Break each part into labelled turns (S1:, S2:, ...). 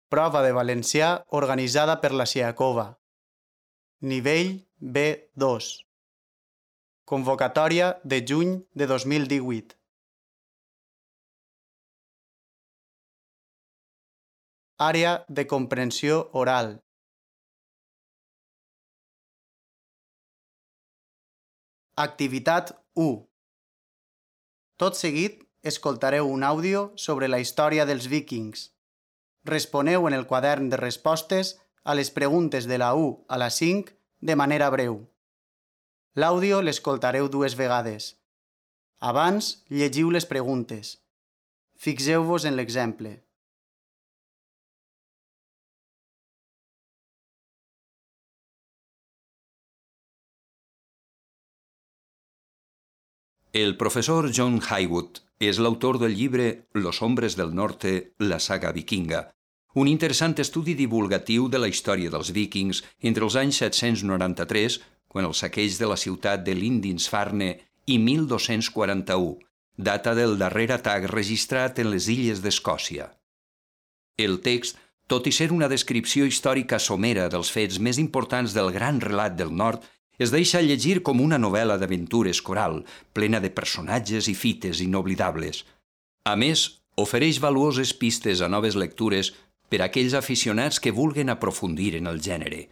S1: Prova de valencià organitzada per la Siacova. Nivell B2. Convocatòria de juny de 2018. Àrea de comprensió oral. Activitat 1. Tot seguit escoltareu un àudio sobre la història dels víkings. Responeu en el quadern de respostes a les preguntes de la 1 a la 5 de manera breu. L'àudio l'escoltareu 2 vegades. Abans, llegiu les preguntes. Fixeu-vos en l'exemple.
S2: El professor John Haywood és l'autor del llibre Los hombres del norte, la saga vikinga, un interessant estudi divulgatiu de la història dels víkings entre els anys 793, quan el saqueig de la ciutat de Lindisfarne, i 1241, data del darrer atac registrat en les illes d'Escòcia. El text, tot i ser una descripció històrica somera dels fets més importants del gran relat del nord, es deixa llegir com una novel·la d'aventures coral, plena de personatges i fites inoblidables. A més, ofereix valuoses pistes a noves lectures per a aquells aficionats que vulguen aprofundir en el gènere.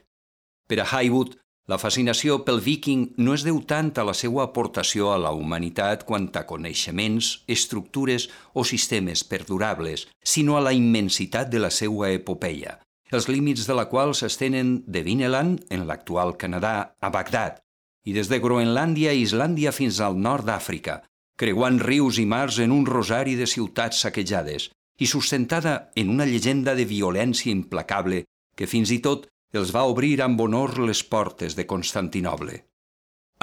S2: Per a Haywood, la fascinació pel víking no es deu tant a la seva aportació a la humanitat quant a coneixements, estructures o sistemes perdurables, sinó a la immensitat de la seva epopeia, els límits de la qual s'estenen de Vineland, en l'actual Canadà, a Bagdad, i des de Groenlàndia i Islàndia fins al nord d'Àfrica, creuant rius i mars en un rosari de ciutats saquejades, i sustentada en una llegenda de violència implacable que fins i tot els va obrir amb honor les portes de Constantinoble.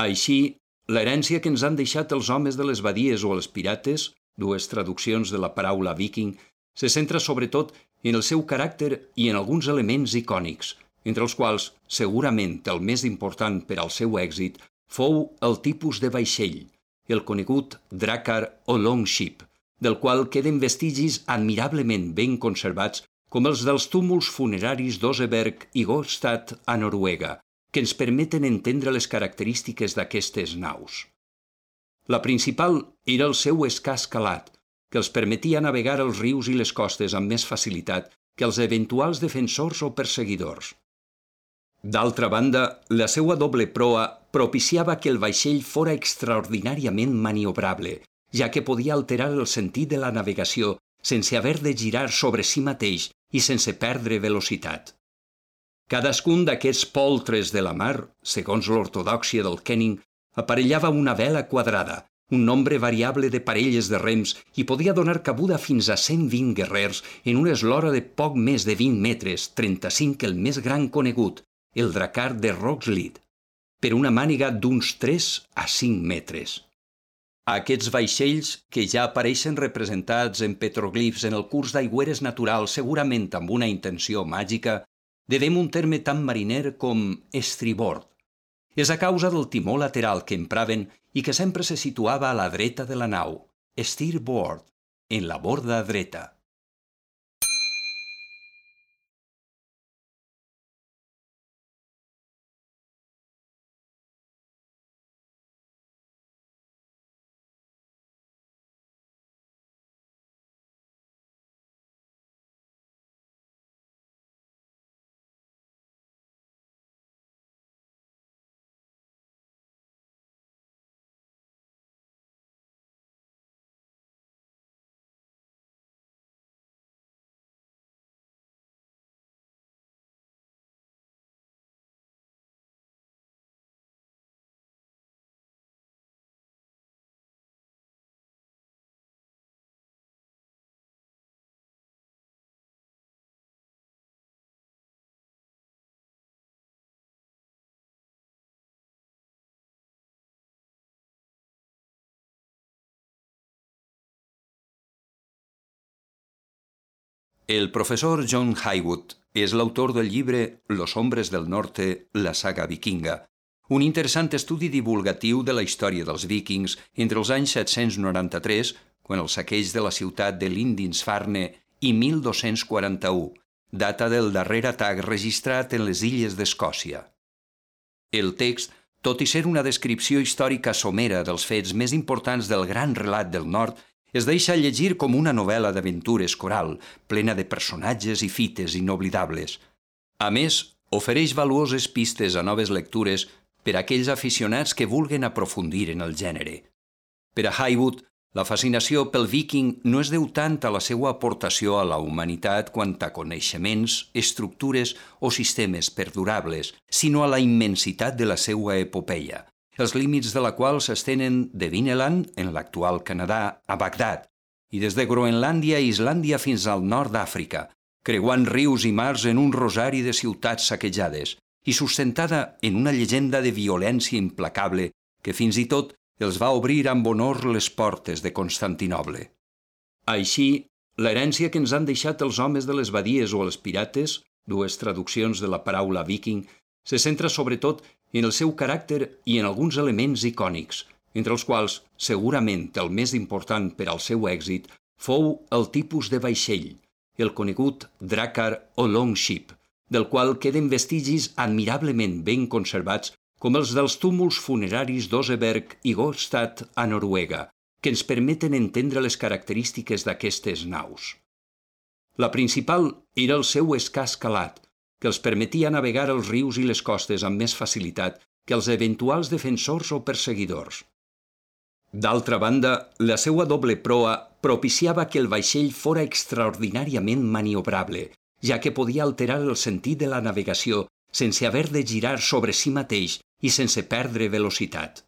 S2: Així, l'herència que ens han deixat els homes de les badies o els pirates, dues traduccions de la paraula viking, se centra sobretot en el seu caràcter i en alguns elements icònics, entre els quals, segurament el més important per al seu èxit, fou el tipus de vaixell, el conegut drakkar o longship, del qual queden vestigis admirablement ben conservats com els dels túmuls funeraris d'Oseberg i Gotstad a Noruega, que ens permeten entendre les característiques d'aquestes naus. La principal era el seu escàs calat, que els permetia navegar els rius i les costes amb més facilitat que els eventuals defensors o perseguidors. D'altra banda, la seva doble proa propiciava que el vaixell fora extraordinàriament maniobrable, ja que podia alterar el sentit de la navegació sense haver de girar sobre si mateix i sense perdre velocitat. Cadascun d'aquests poltres de la mar, segons l'ortodòxia del Kenning, aparellava una vela quadrada, un nombre variable de parelles de rems i podia donar cabuda fins a 120 guerrers en una eslora de poc més de 20 metres, 35 el més gran conegut, el drakkar de Rockslid, per una màniga d'uns 3 a 5 metres. Aquests vaixells, que ja apareixen representats en petroglifs en el curs d'aigüeres naturals segurament amb una intenció màgica, devem un terme tan mariner com estribord. És a causa del timó lateral que empraven i que sempre se situava a la dreta de la nau, steerboard, en la borda dreta. El professor John Haywood és l'autor del llibre Los hombres del norte, la saga vikinga, un interessant estudi divulgatiu de la història dels víkings entre els anys 793, quan el saqueig de la ciutat de Lindisfarne, i 1241, data del darrer atac registrat en les illes d'Escòcia. El text, tot i ser una descripció històrica somera dels fets més importants del gran relat del nord, es deixa llegir com una novel·la d'aventures coral, plena de personatges i fites inoblidables. A més, ofereix valuoses pistes a noves lectures per a aquells aficionats que vulguen aprofundir en el gènere. Per a Heywood, la fascinació pel viking no es deu tant a la seva aportació a la humanitat quant a coneixements, estructures o sistemes perdurables, sinó a la immensitat de la seva epopeia, els límits de la qual s'estenen de Vineland, en l'actual Canadà, a Bagdad, i des de Groenlàndia i Islàndia fins al nord d'Àfrica, creuant rius i mars en un rosari de ciutats saquejades i sustentada en una llegenda de violència implacable que fins i tot els va obrir amb honor les portes de Constantinoble. Així, l'herència que ens han deixat els homes de les badies o els pirates, dues traduccions de la paraula viking, se centra sobretot en el seu caràcter i en alguns elements icònics, entre els quals, segurament el més important per al seu èxit, fou el tipus de vaixell, el conegut drakkar o longship, del qual queden vestigis admirablement ben conservats com els dels túmuls funeraris d'Oseberg i Gotstad a Noruega, que ens permeten entendre les característiques d'aquestes naus. La principal era el seu escàs calat, que els permetia navegar els rius i les costes amb més facilitat que els eventuals defensors o perseguidors. D'altra banda, la seva doble proa propiciava que el vaixell fora extraordinàriament maniobrable, ja que podia alterar el sentit de la navegació sense haver de girar sobre si mateix i sense perdre velocitat.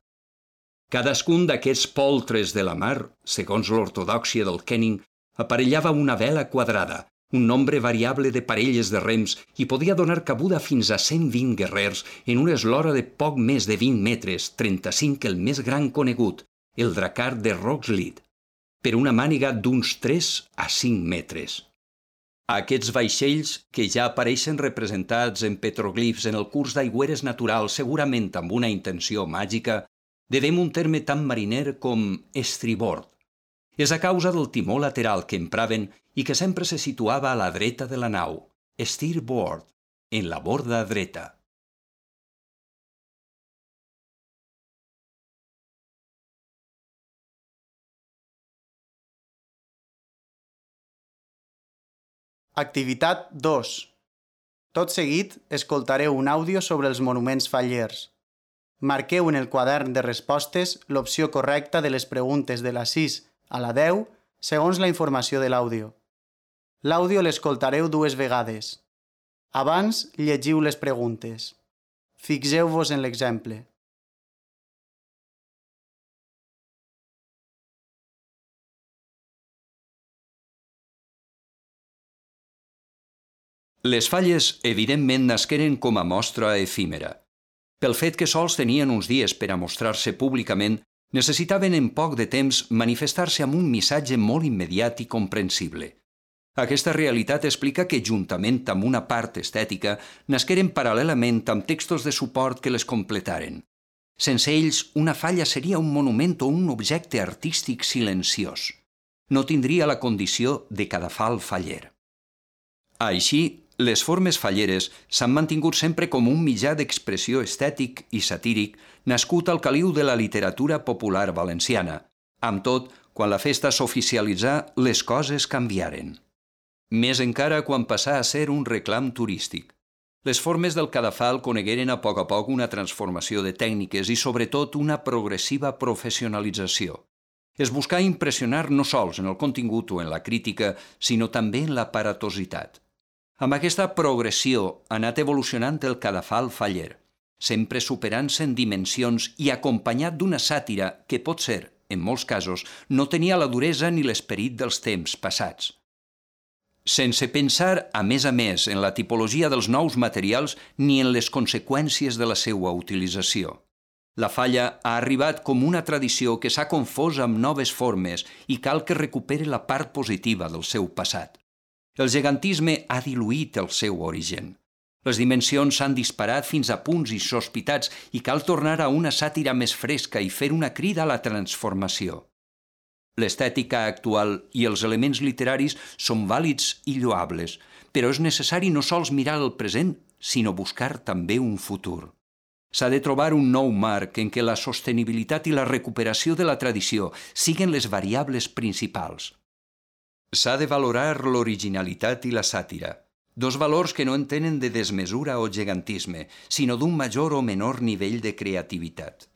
S2: Cadascun d'aquests poltres de la mar, segons l'ortodòxia del Kenning, aparellava una vela quadrada, un nombre variable de parelles de rems i podia donar cabuda fins a 120 guerrers en una eslora de poc més de 20 metres, 35 el més gran conegut, el drakkar de Rockslid, per una màniga d'uns 3 a 5 metres. Aquests vaixells, que ja apareixen representats en petroglifs en el curs d'aigüeres naturals segurament amb una intenció màgica, devem un terme tan mariner com estribord. És a causa del timó lateral que empraven i que sempre se situava a la dreta de la nau, steerboard, en la borda dreta.
S1: Activitat 2. Tot seguit, escoltareu un àudio sobre els monuments fallers. Marqueu en el quadern de respostes l'opció correcta de les preguntes de la 6 a la 10 segons la informació de l'àudio. L'àudio l'escoltareu 2 vegades. Abans, llegiu les preguntes. Fixeu-vos en l'exemple.
S2: Les falles, evidentment, nasqueren com a mostra efímera. Pel fet que sols tenien uns dies per a mostrar-se públicament, necessitaven en poc de temps manifestar-se amb un missatge molt immediat i comprensible. Aquesta realitat explica que, juntament amb una part estètica, nasqueren paral·lelament amb textos de suport que les completaren. Sense ells, una falla seria un monument o un objecte artístic silenciós. No tindria la condició de cadafal faller. Així, les formes falleres s'han mantingut sempre com un mitjà d'expressió estètic i satíric nascut al caliu de la literatura popular valenciana. Amb tot, quan la festa s'oficialitzà, les coses canviaren. Més encara quan passà a ser un reclam turístic. Les formes del cadafal conegueren a poc una transformació de tècniques i, sobretot, una progressiva professionalització. Es buscà impressionar no sols en el contingut o en la crítica, sinó també en l'aparatositat. Amb aquesta progressió ha anat evolucionant el cadafal faller, sempre superant-se en dimensions i acompanyat d'una sàtira que potser, en molts casos, no tenia la duresa ni l'esperit dels temps passats. Sense pensar, a més, en la tipologia dels nous materials ni en les conseqüències de la seva utilització. La falla ha arribat com una tradició que s'ha confós amb noves formes i cal que recupere la part positiva del seu passat. El gegantisme ha diluït el seu origen. Les dimensions s'han disparat fins a punts insospitats i cal tornar a una sàtira més fresca i fer una crida a la transformació. L'estètica actual i els elements literaris són vàlids i lloables, però és necessari no sols mirar el present, sinó buscar també un futur. S'ha de trobar un nou marc en què la sostenibilitat i la recuperació de la tradició siguin les variables principals. S'ha de valorar l'originalitat i la sàtira, dos valors que no entenen de desmesura o gegantisme, sinó d'un major o menor nivell de creativitat.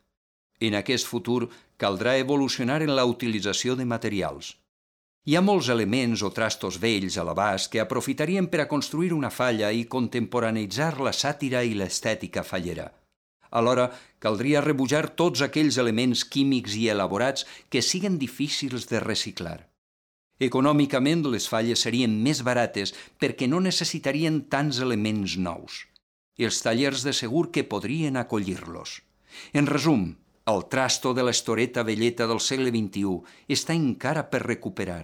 S2: En aquest futur caldrà evolucionar en la utilització de materials. Hi ha molts elements o trastos vells a l'abast que aprofitarien per a construir una falla i contemporaneïtzar la sàtira i l'estètica fallera. Alhora, caldria rebutjar tots aquells elements químics i elaborats que siguen difícils de reciclar. Econòmicament, les falles serien més barates perquè no necessitarien tants elements nous. Els tallers de segur que podrien acollir-los. En resum, el trasto de l'estoreta velleta del segle XXI està encara per recuperar.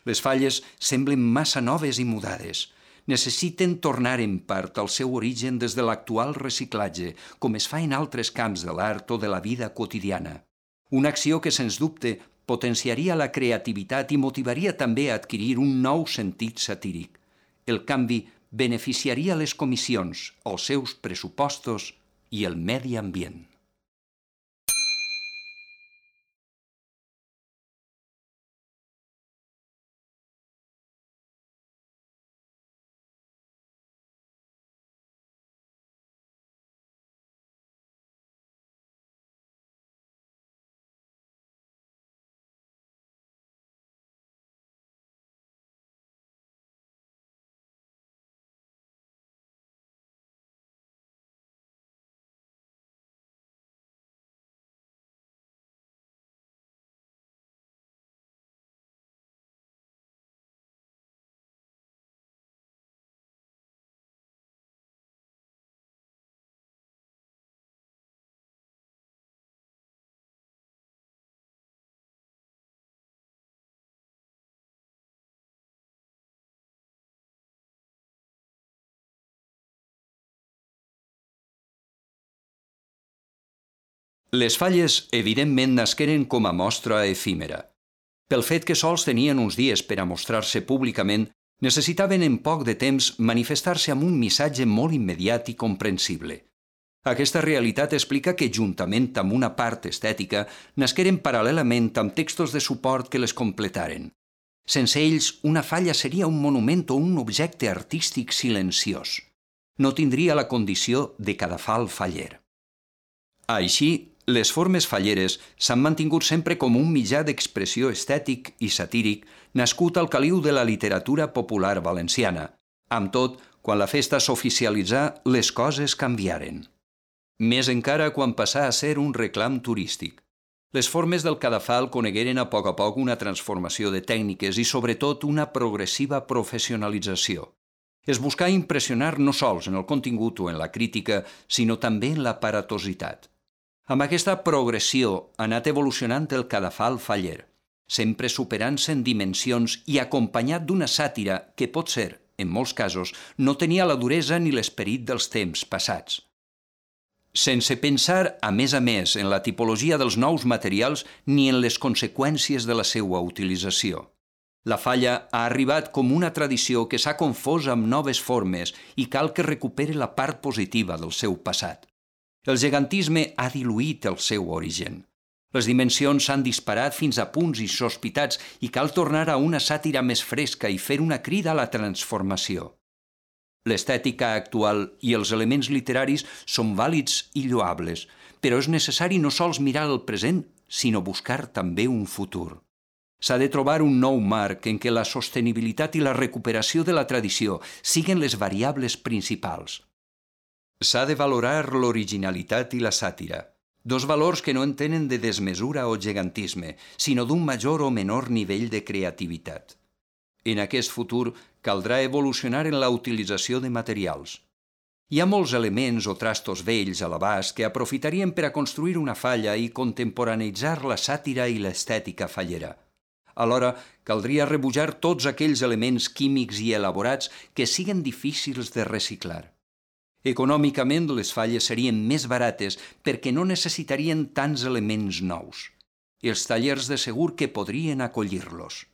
S2: Les falles semblen massa noves i mudades. Necessiten tornar en part al seu origen des de l'actual reciclatge, com es fa en altres camps de l'art o de la vida quotidiana. Una acció que, sens dubte, potenciaria la creativitat i motivaria també a adquirir un nou sentit satíric. El canvi beneficiaria les comissions, els seus pressupostos i el medi ambient. Les falles, evidentment, nasqueren com a mostra efímera. Pel fet que sols tenien uns dies per a mostrar-se públicament, necessitaven en poc de temps manifestar-se amb un missatge molt immediat i comprensible. Aquesta realitat explica que, juntament amb una part estètica, nasqueren paral·lelament amb textos de suport que les completaren. Sense ells, una falla seria un monument o un objecte artístic silenciós. No tindria la condició de cadafal faller. Així, les formes falleres s'han mantingut sempre com un mitjà d'expressió estètic i satíric nascut al caliu de la literatura popular valenciana. Amb tot, quan la festa s'oficialitzà, les coses canviaren. Més encara quan passà a ser un reclam turístic. Les formes del cadafal conegueren a poc una transformació de tècniques i, sobretot, una progressiva professionalització. Es buscà impressionar no sols en el contingut o en la crítica, sinó també en l'aparatositat. Amb aquesta progressió ha anat evolucionant el cadafal faller, sempre superant-se en dimensions i acompanyat d'una sàtira que potser, en molts casos, no tenia la duresa ni l'esperit dels temps passats. Sense pensar, a més, en la tipologia dels nous materials ni en les conseqüències de la seva utilització. La falla ha arribat com una tradició que s'ha confós amb noves formes i cal que recuperi la part positiva del seu passat. El gegantisme ha diluït el seu origen. Les dimensions s'han disparat fins a punts insospitats i cal tornar a una sàtira més fresca i fer una crida a la transformació. L'estètica actual i els elements literaris són vàlids i lloables, però és necessari no sols mirar el present, sinó buscar també un futur. S'ha de trobar un nou marc en què la sostenibilitat i la recuperació de la tradició siguin les variables principals. S'ha de valorar l'originalitat i la sàtira, dos valors que no entenen de desmesura o gegantisme, sinó d'un major o menor nivell de creativitat. En aquest futur caldrà evolucionar en la utilització de materials. Hi ha molts elements o trastos vells a l'abast que aprofitarien per a construir una falla i contemporaneïtzar la sàtira i l'estètica fallera. Alhora, caldria rebutjar tots aquells elements químics i elaborats que siguen difícils de reciclar. Econòmicament, les falles serien més barates perquè no necessitarien tants elements nous. Els tallers de segur que podrien acollir-los.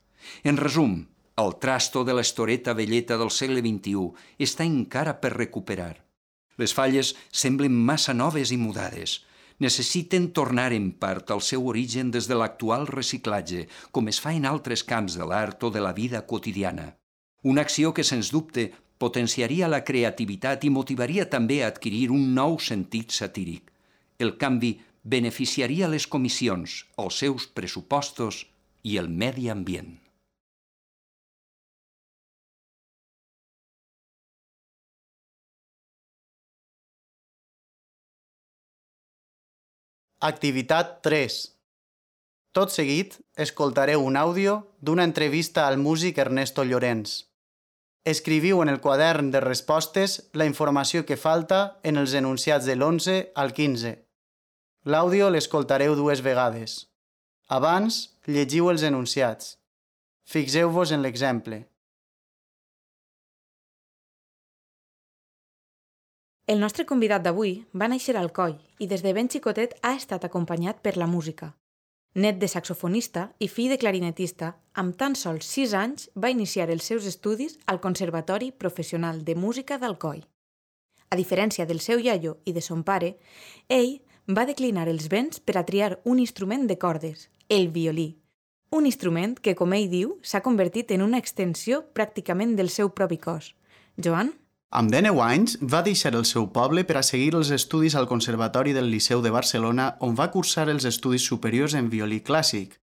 S2: En resum, el trasto de l'estoreta velleta del segle XXI està encara per recuperar. Les falles semblen massa noves i mudades. Necessiten tornar en part al seu origen des de l'actual reciclatge, com es fa en altres camps de l'art o de la vida quotidiana. Una acció que, sens dubte, potenciaria la creativitat i motivaria també a adquirir un nou sentit satíric. El canvi beneficiaria les comissions, els seus pressupostos i el medi ambient.
S1: Activitat 3. Tot seguit, escoltareu un àudio d'una entrevista al músic Ernesto Llorens. Escriviu en el quadern de respostes la informació que falta en els enunciats de l'11 al 15. L'àudio l'escoltareu 2 vegades. Abans, llegiu els enunciats. Fixeu-vos en l'exemple.
S3: El nostre convidat d'avui va néixer a Alcoi i des de ben xicotet ha estat acompanyat per la música. Net de saxofonista i fill de clarinetista, amb tan sols 6 anys va iniciar els seus estudis al Conservatori Professional de Música d'Alcoi. A diferència del seu iaio i de son pare, ell va declinar els béns per a triar un instrument de cordes, el violí. Un instrument que, com ell diu, s'ha convertit en una extensió pràcticament del seu propi cos. Joan?
S1: Amb 19 anys va deixar el seu poble per a seguir els estudis al Conservatori del Liceu de Barcelona, on va cursar els estudis superiors en violí clàssic.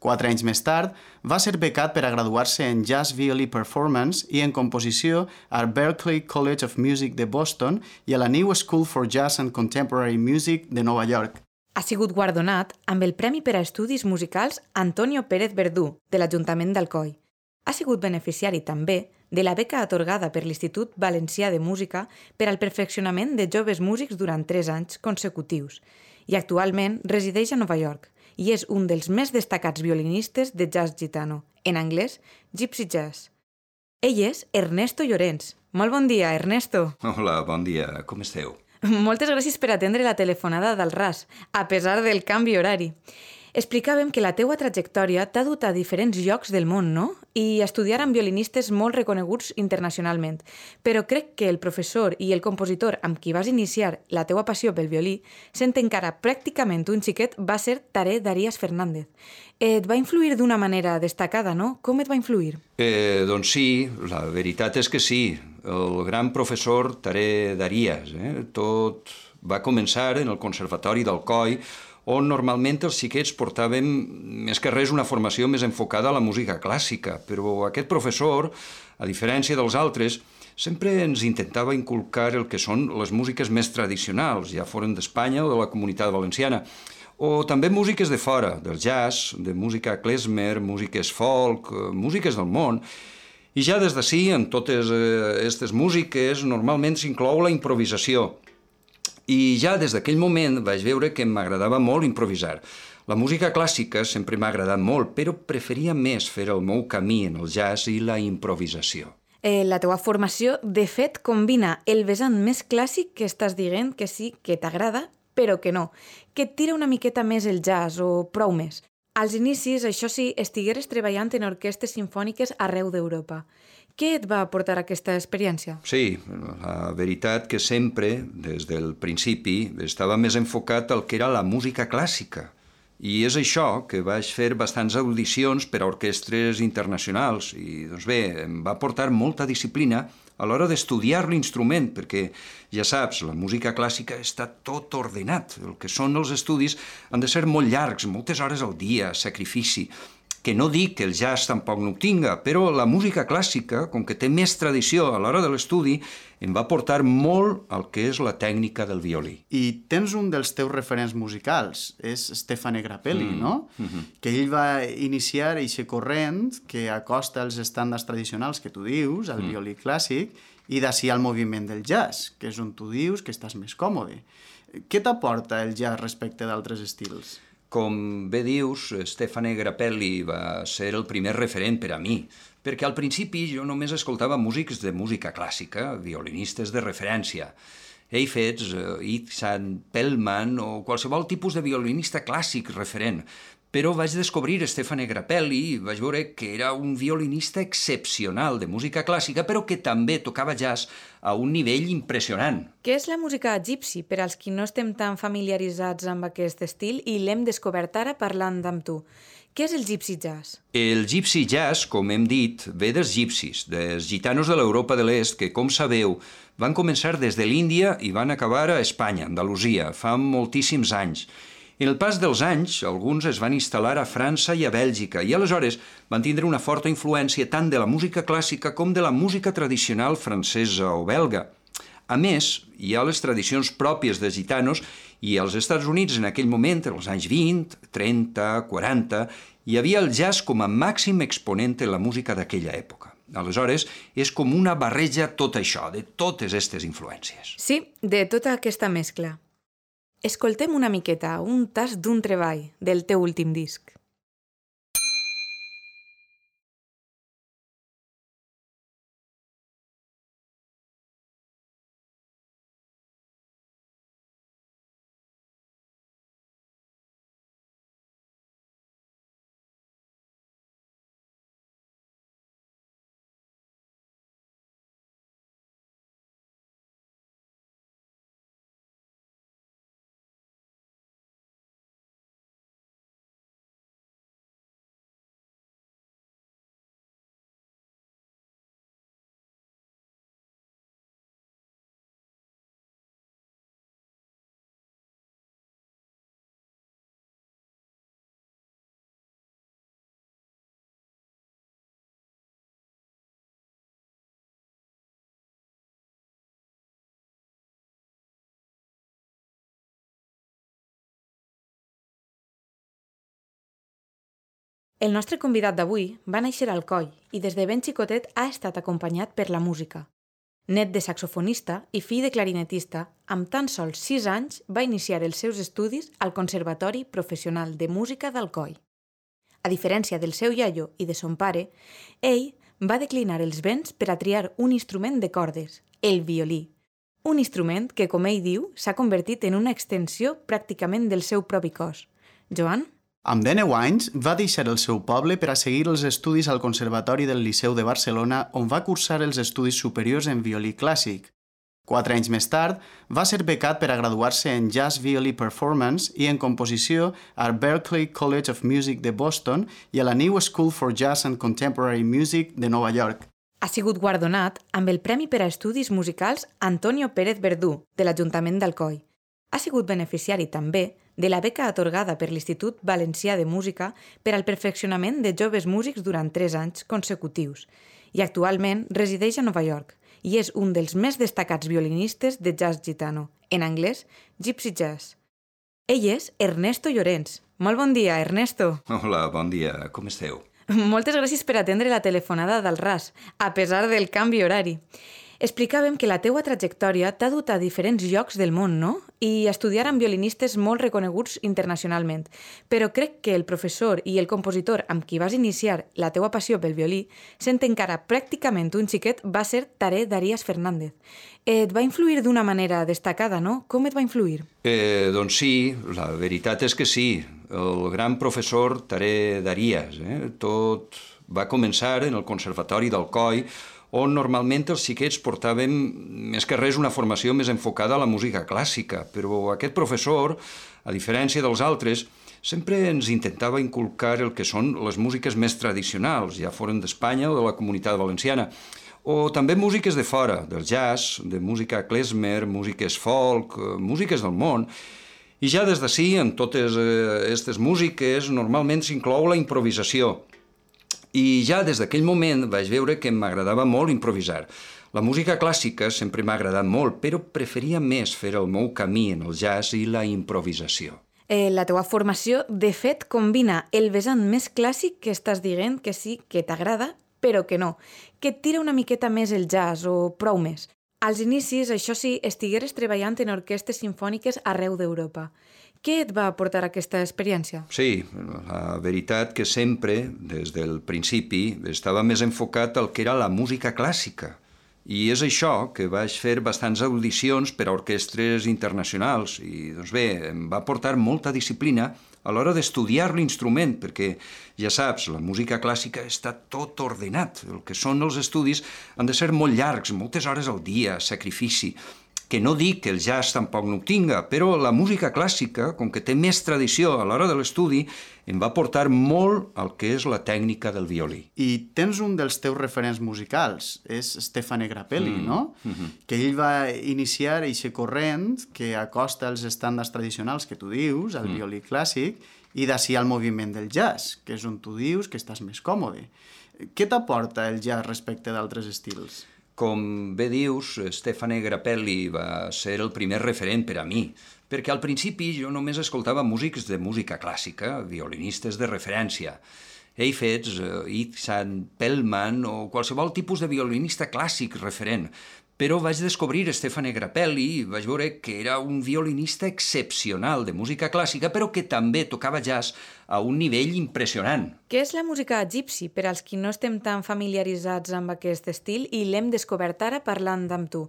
S1: 4 anys més tard, va ser becat per a graduar-se en Jazz Violí Performance i en composició al Berklee College of Music de Boston i a la New School for Jazz and Contemporary Music de Nova York.
S3: Ha sigut guardonat amb el Premi per a Estudis Musicals Antonio Pérez Verdú, de l'Ajuntament d'Alcoi. Ha sigut beneficiari també de la beca atorgada per l'Institut Valencià de Música per al perfeccionament de joves músics durant 3 anys consecutius i actualment resideix a Nova York i és un dels més destacats violinistes de jazz gitano, en anglès Gypsy Jazz. Ell és Ernesto Llorens. Molt bon dia, Ernesto.
S2: Hola, bon dia. Com esteu?
S3: Moltes gràcies per atendre la telefonada del RAS, a pesar del canvi horari. Explicàvem que la teua trajectòria t'ha dut a diferents llocs del món, no? I a estudiar amb violinistes molt reconeguts internacionalment. Però crec que el professor i el compositor amb qui vas iniciar la teua passió pel violí, sent encara pràcticament un xiquet, va ser Taré Darías Fernández. Et va influir d'una manera destacada, no? Com et va influir?
S2: Doncs sí, la veritat és que sí. El gran professor Taré Darías. Tot va començar en el Conservatori d'Alcoi, on normalment els xiquets portàvem més que res una formació més enfocada a la música clàssica, però aquest professor, a diferència dels altres, sempre ens intentava inculcar el que són les músiques més tradicionals, ja foren d'Espanya o de la Comunitat Valenciana, o també músiques de fora, del jazz, de música klezmer, músiques folk, músiques del món. I ja des d'ací, en totes aquestes músiques, normalment s'inclou la improvisació. I ja des d'aquell moment vaig veure que m'agradava molt improvisar. La música clàssica sempre m'ha agradat molt, però preferia més fer el meu camí en el jazz i la improvisació.
S3: La teua formació, de fet, combina el vessant més clàssic que estàs dient que sí, que t'agrada, però que no, que et tira una miqueta més el jazz o prou més. Als inicis, això sí, estigueres treballant en orquestes simfòniques arreu d'Europa. Què et va aportar aquesta experiència?
S2: Sí, la veritat que sempre, des del principi, estava més enfocat al que era la música clàssica. I és això que vaig fer bastants audicions per a orquestres internacionals i, doncs bé, em va portar molta disciplina a l'hora d'estudiar l'instrument, perquè, ja saps, la música clàssica està tot ordenat. El que són els estudis han de ser molt llargs, moltes hores al dia, sacrifici. Que no dic que el jazz tampoc no ho tinga, però la música clàssica, com que té més tradició a l'hora de l'estudi, em va portar molt al que és la tècnica del violí.
S1: I tens un dels teus referents musicals, és Stefano Grappelli, no? Que ell va iniciar aquest corrent que acosta els estàndards tradicionals que tu dius, al violí clàssic, i d'ací al moviment del jazz, que és on tu dius que estàs més còmode. Què t'aporta el jazz respecte d'altres estils?
S2: Com bé dius, Stefano Grappelli va ser el primer referent per a mi, perquè al principi jo només escoltava músics de música clàssica, violinistes de referència. Heifetz, Itzhak Perlman o qualsevol tipus de violinista clàssic referent. però vaig descobrir Stefano Grappelli i vaig veure que era un violinista excepcional de música clàssica, però que també tocava jazz a un nivell impressionant.
S3: Què és la música gypsy, per als qui no estem tan familiaritzats amb aquest estil i l'hem descobert ara parlant amb tu? Què és el gypsy jazz?
S2: El gypsy jazz, com hem dit, ve dels gypsis, dels gitanos de l'Europa de l'Est, que, com sabeu, van començar des de l'Índia i van acabar a Espanya, Andalusia, fa moltíssims anys. En el pas dels anys, alguns es van instal·lar a França i a Bèlgica i aleshores van tindre una forta influència tant de la música clàssica com de la música tradicional francesa o belga. A més, hi ha les tradicions pròpies dels gitanos i als Estats Units en aquell moment, en els anys 20, 30, 40, hi havia el jazz com a màxim exponent en la música d'aquella època. Aleshores, és com una barreja tot això, de totes aquestes influències.
S3: Sí, de tota aquesta mescla. Escoltem una miqueta, un tast d'un treball del teu últim disc. El nostre convidat d'avui va néixer a Alcoi i des de ben xicotet ha estat acompanyat per la música. Net de saxofonista i fill de clarinetista, amb tan sols 6 anys va iniciar els seus estudis al Conservatori Professional de Música d'Alcoi. A diferència del seu iaio i de son pare, ell va declinar els béns per a triar un instrument de cordes, el violí. Un instrument que, com ell diu, s'ha convertit en una extensió pràcticament del seu propi cos. Joan?
S1: Amb 19 anys va deixar el seu poble per a seguir els estudis al Conservatori del Liceu de Barcelona, on va cursar els estudis superiors en violí clàssic. 4 anys més tard, va ser becat per a graduar-se en Jazz Violí Performance i en composició al Berklee College of Music de Boston i a la New School for Jazz and Contemporary Music de Nova York.
S3: Ha sigut guardonat amb el Premi per a Estudis Musicals Antonio Pérez Verdú, de l'Ajuntament d'Alcoi. Ha sigut beneficiari també de la beca atorgada per l'Institut Valencià de Música per al perfeccionament de joves músics durant 3 anys consecutius i actualment resideix a Nova York i és un dels més destacats violinistes de jazz gitano, en anglès Gypsy Jazz. Ell és Ernesto Llorens. Molt bon dia, Ernesto.
S2: Hola, bon dia, com esteu?
S3: Moltes gràcies per atendre la telefonada del RAS, a pesar del canvi horari. Explicàvem que la teua trajectòria t'ha dut a diferents llocs del món, no? I a estudiar amb violinistes molt reconeguts internacionalment. Però crec que el professor i el compositor amb qui vas iniciar la teua passió pel violí, sent encara pràcticament un xiquet, va ser Taré Darías Fernández. Et va influir d'una manera destacada, no? Com et va influir?
S2: Doncs sí, la veritat és que sí. El gran professor Taré Darías. Tot va començar en el Conservatori d'Alcoi, on normalment els xiquets portàvem més que res una formació més enfocada a la música clàssica, però aquest professor, a diferència dels altres, sempre ens intentava inculcar el que són les músiques més tradicionals, ja foren d'Espanya o de la Comunitat Valenciana, o també músiques de fora, del jazz, de música klezmer, músiques folk, músiques del món. I ja des d'ací, en totes aquestes músiques, normalment s'inclou la improvisació. I ja des d'aquell moment vaig veure que m'agradava molt improvisar. La música clàssica sempre m'ha agradat molt, però preferia més fer el meu camí en el jazz i la improvisació.
S3: La teua formació, de fet, combina el vessant més clàssic que estàs dient que sí, que t'agrada, però que no, que et tira una miqueta més el jazz o prou més. Als inicis, això sí, estigueres treballant en orquestes simfòniques arreu d'Europa. Què et va aportar aquesta experiència?
S2: Sí, la veritat que sempre, des del principi, estava més enfocat al que era la música clàssica. I és això que vaig fer bastants audicions per a orquestres internacionals i, doncs bé, em va portar molta disciplina a l'hora d'estudiar l'instrument, perquè, ja saps, la música clàssica està tot ordenat. El que són els estudis han de ser molt llargs, moltes hores al dia, sacrifici. Que no dic que el jazz tampoc no ho tinga, però la música clàssica, com que té més tradició a l'hora de l'estudi, em va portar molt al que és la tècnica del violí.
S1: I tens un dels teus referents musicals, és Stefano Grappelli, no? Que ell va iniciar aquest corrent que acosta els estàndards tradicionals que tu dius, al violí clàssic, i d'ací al moviment del jazz, que és on tu dius que estàs més còmode. Què t'aporta el jazz respecte d'altres estils?
S2: Com bé dius, Stefano Grappelli va ser el primer referent per a mi, perquè al principi jo només escoltava músics de música clàssica, violinistes de referència. Heifetz, Itzhak Perlman o qualsevol tipus de violinista clàssic referent. Però vaig descobrir Stefano Grappelli i vaig veure que era un violinista excepcional de música clàssica, però que també tocava jazz a un nivell impressionant.
S3: Què és la música gypsy, per als qui no estem tan familiaritzats amb aquest estil i l'hem descobert ara parlant amb tu?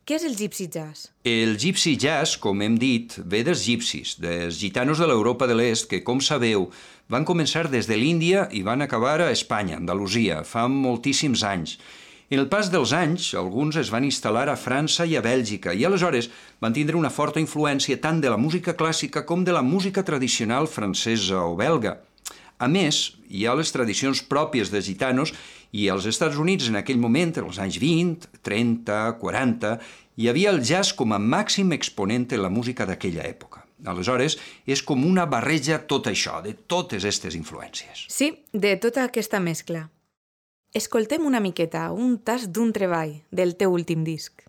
S3: Què és el gypsy jazz?
S2: El gypsy jazz, com hem dit, ve dels gypsies, dels gitanos de l'Europa de l'Est, que, com sabeu, van començar des de l'Índia i van acabar a Espanya, Andalusia, fa moltíssims anys. En el pas dels anys, alguns es van instal·lar a França i a Bèlgica i aleshores van tindre una forta influència tant de la música clàssica com de la música tradicional francesa o belga. A més, hi ha les tradicions pròpies de gitanos i als Estats Units en aquell moment, als anys 20, 30, 40, hi havia el jazz com a màxim exponent en la música d'aquella època. Aleshores, és com una barreja tot això, de totes aquestes influències.
S3: Sí, de tota aquesta mescla. Escoltem una miqueta, un tast d'un treball del teu últim disc.